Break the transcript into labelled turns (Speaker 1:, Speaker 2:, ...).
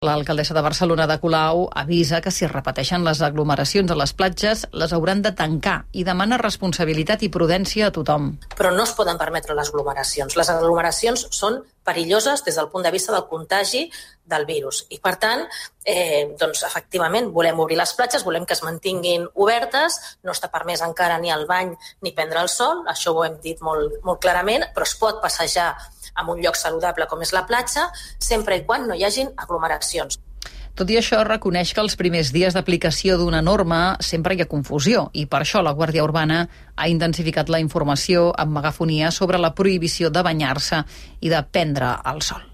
Speaker 1: L'alcaldessa de Barcelona, Ada Colau, avisa que si es repeteixen les aglomeracions a les platges, les hauran de tancar i demana responsabilitat i prudència a tothom.
Speaker 2: Però no es poden permetre les aglomeracions. Les aglomeracions són perilloses des del punt de vista del contagi del virus. I, per tant, efectivament, volem obrir les platges, volem que es mantinguin obertes, no està permès encara ni el bany ni prendre el sol, això ho hem dit molt clarament, però es pot passejar en un lloc saludable com és la platja, sempre i quan no hi hagin aglomeracions.
Speaker 1: Tot i això, reconeix que els primers dies d'aplicació d'una norma sempre hi ha confusió i per això la Guàrdia Urbana ha intensificat la informació amb megafonia sobre la prohibició de banyar-se i de prendre el sol.